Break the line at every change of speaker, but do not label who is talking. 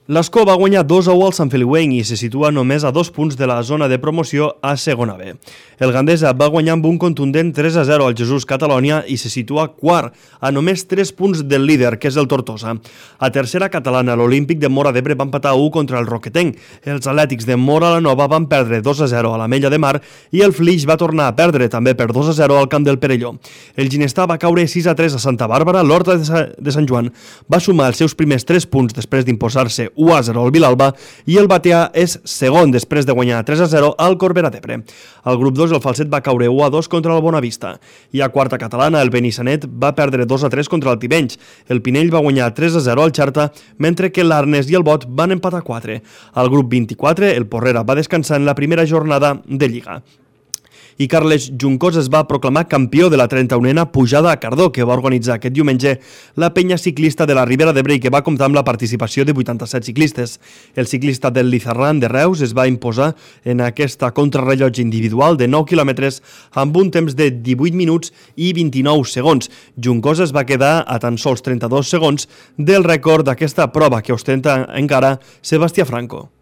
L'Escó va guanyar 2-1 al Sant Feliuenc i se situa només a 2 punts de la zona de promoció a segona B. El Gandesa va guanyar amb un contundent 3-0 al Jesús Catalònia i se situa quart, a només 3 punts del líder, que és el Tortosa. A tercera catalana, l'Olímpic de Móra d'Ebre va empatar 1 contra el Roquetenc. Els Atlètics de Móra la Nova van perdre 2-0 a l'Ametlla de Mar i el Flix va tornar a perdre també per 2-0 al camp del Perelló. El Ginestà va caure 6-3 a Santa Bàrbara. L'Horta de Sant Joan va sumar els seus primers 3 punts després d'imposar-se 1-0 al Vilalba i el Batea és segon després de guanyar 3-0 al Corbera d'Ebre. Al grup 2 el Falset va caure 1-2 contra el Bonavista i a quarta catalana el Benissanet va perdre 2-3 contra el Tivenys. El Pinell va guanyar 3-0 al Xarta, mentre que l'Arnes i el Bot van empatar 4. Al grup 24 el Porrera va descansar en la primera jornada de Lliga. I Carles Juncos es va proclamar campió de la 31a pujada a Cardó, que va organitzar aquest diumenge la penya ciclista de la Ribera d'Ebre i que va comptar amb la participació de 87 ciclistes. El ciclista del Lizarran de Reus es va imposar en aquesta contrarrellotge individual de 9 quilòmetres amb un temps de 18 minuts i 29 segons. Juncos es va quedar a tan sols 32 segons del rècord d'aquesta prova que ostenta encara Sebastià Franco.